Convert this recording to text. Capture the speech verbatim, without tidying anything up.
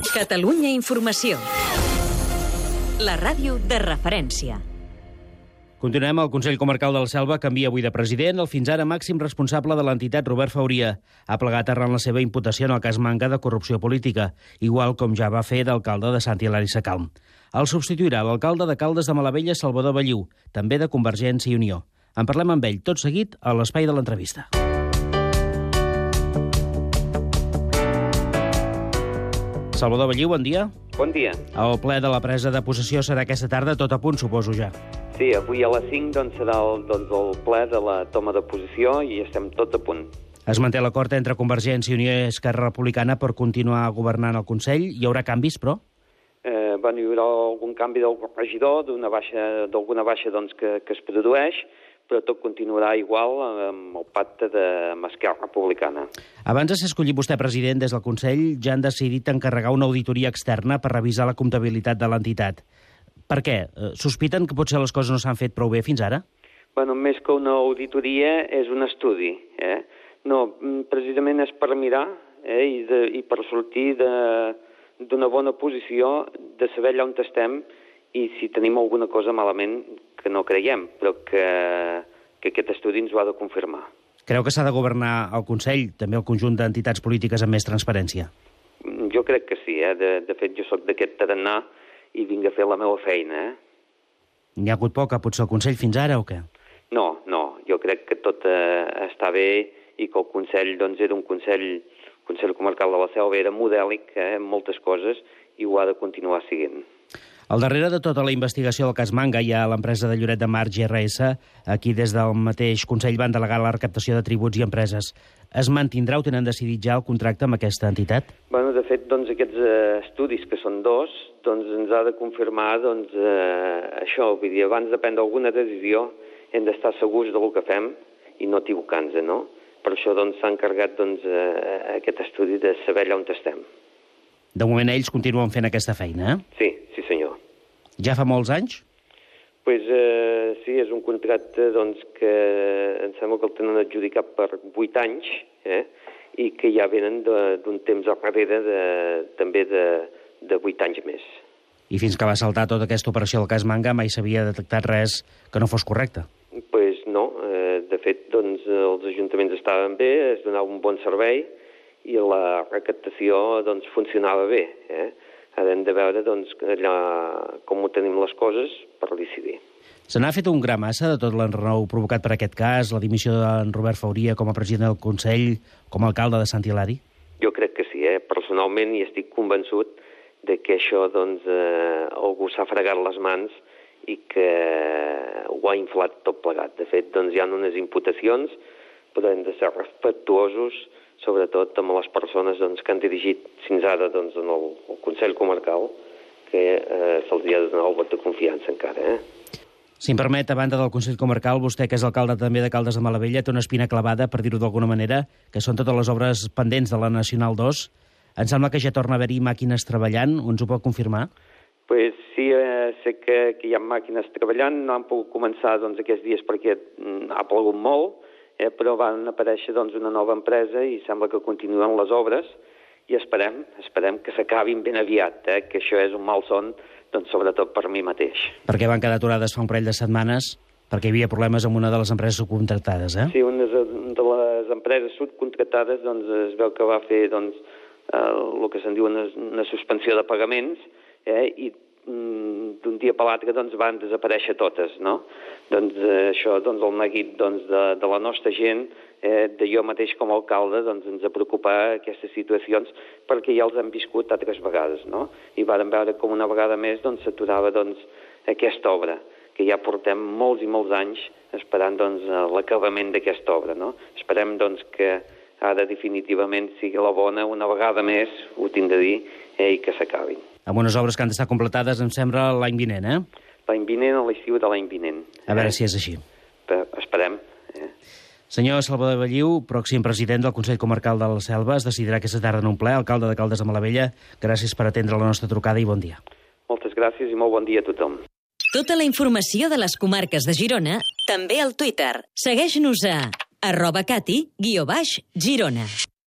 Catalunya Informació. La ràdio de referència. Continuem. El Consell Comarcal de la Selva canvia avui de president. El fins ara màxim responsable de l'entitat, Robert Fauria, ha plegat arran la seva imputació en el cas Manga de corrupció política, igual com ja va fer d'alcalde de Sant Hilari Sacalm. El substituirà l'alcalde de Caldes de Malavella, Salvador Belliu, també de Convergència i Unió. En parlem amb ell tot seguit a l'espai de l'entrevista. Salvador Belliu, bon dia. Bon dia. El ple de la presa de possessió serà aquesta tarda, tot a punt, suposo ja. Sí, avui a les cinc doncs, serà el, doncs, el ple de la toma de posició i estem tot a punt. Es manté l'acord entre Convergència i Unió i Esquerra Republicana per continuar governant el Consell. Hi haurà canvis, però? Eh, bueno, hi haurà algun canvi del regidor, d'una baixa, d'alguna baixa doncs, que, que es produeix, però tot continuarà igual amb el pacte de amb Esquerra Republicana. Abans de ser escollit vostè president des del Consell, ja han decidit encarregar una auditoria externa per revisar la comptabilitat de l'entitat. Per què? Sospiten que potser les coses no s'han fet prou bé fins ara? Bueno, més que una auditoria és un estudi. Eh? No, precisament és per mirar eh, i, de, i per sortir d'una bona posició, de saber allà on estem i si tenim alguna cosa malament que no creiem, però que, que aquest estudi ens ho ha de confirmar. Creu que s'ha de governar el Consell, també el conjunt d'entitats polítiques amb més transparència? Jo crec que sí, eh? de, de fet jo sóc d'aquest tarannà i vinc a fer la meva feina. Eh? N'hi ha hagut poca, potser, el Consell fins ara o què? No, no, jo crec que tot eh, està bé i que el Consell doncs, era un Consell, Consell Comarcal de la Selva, era modèlic eh, en moltes coses i ho ha de continuar siguent. Al darrere de tota la investigació del cas Manga hi ha l'empresa de Lloret de Mar, G R S. Aquí des del mateix Consell van delegar la recaptació de tributs i empreses. Es mantindrà o tenen decidit ja el contracte amb aquesta entitat? Bueno, de fet, doncs, aquests eh, estudis, que són dos, doncs, ens ha de confirmar doncs, eh, això. Vull dir, abans de prendre alguna decisió hem d'estar segurs del que fem i no equivocar-nos, no? Per això doncs, s'ha encarregat doncs, eh, aquest estudi de saber allà on estem. De moment ells continuen fent aquesta feina, eh? Sí, sí senyor. Ja fa molts anys? Pues, eh, sí, és un contracte doncs, que em sembla que el tenen adjudicat per vuit anys eh, i que ja venen d'un temps darrere de, també de, de vuit anys més. I fins que va saltar tota aquesta operació del cas Manga mai s'havia detectat res que no fos correcte? Pues no, eh, de fet doncs, els ajuntaments estaven bé, es donava un bon servei i la recaptació doncs, funcionava bé. Eh? Ara hem de veure doncs, allà, com ho tenim les coses per decidir. Se n'ha fet un gra massa de tot l'enrenou provocat per aquest cas, la dimissió d'en Robert Fauria com a president del Consell, com a alcalde de Sant Hilari? Jo crec que sí, eh? Personalment, i estic convençut de que això doncs, eh, algú s'ha fregat les mans i que ho ha inflat tot plegat. De fet, doncs, hi ha unes imputacions, però hem de ser respectuosos sobretot amb les persones doncs, que han dirigit fins ara doncs, en el, el Consell Comarcal, que eh, se'ls ha de donar el vot de confiança encara. Eh? Si em permet, a banda del Consell Comarcal, vostè, que és alcalde també de Caldes de Malavella, té una espina clavada, per dir-ho d'alguna manera, que són totes les obres pendents de la Nacional dos. Em sembla que ja torna a haver-hi màquines treballant, ens ho pot confirmar? Pues sí, eh, sé que, que hi ha màquines treballant, no han pogut començar doncs, aquests dies perquè mm, ha plogut molt, Eh, però van aparèixer doncs, una nova empresa i sembla que continuen les obres i esperem, esperem que s'acabin ben aviat, eh, que això és un mal son, doncs, sobretot per mi mateix. Perquè van quedar aturades fa un parell de setmanes perquè hi havia problemes amb una de les empreses subcontractades, eh? Sí, una de les empreses subcontractades doncs, es veu que va fer doncs, eh, el que se'n diu una, una suspensió de pagaments eh, i d'un dia per l'altre doncs, van desaparèixer totes, no? Doncs eh, això, doncs, el neguit doncs, de, de la nostra gent, eh, de jo mateix com a alcalde, doncs, ens ha preocupat aquestes situacions perquè ja els hem viscut altres vegades, no? I vàrem veure com una vegada més doncs, s'aturava doncs, aquesta obra, que ja portem molts i molts anys esperant doncs, l'acabament d'aquesta obra, no? Esperem doncs, que ara definitivament sigui la bona, una vegada més, ho tinc de dir, eh, i que s'acabin. Amb unes obres que han d'estar completades, em sembla, l'any vinent, eh? L'any vinent o l'estiu de l'any vinent. A veure eh? si és així. Però esperem. Eh? Senyor Salvador Belliu, pròxim president del Consell Comarcal de la Selva, es decidirà aquesta tarda en un ple, alcalde de Caldes de Malavella. Gràcies per atendre la nostra trucada i bon dia. Moltes gràcies i molt bon dia a tothom. Tota la informació de les comarques de Girona, també al Twitter. Segueix-nos a arroba cati guió baix Girona.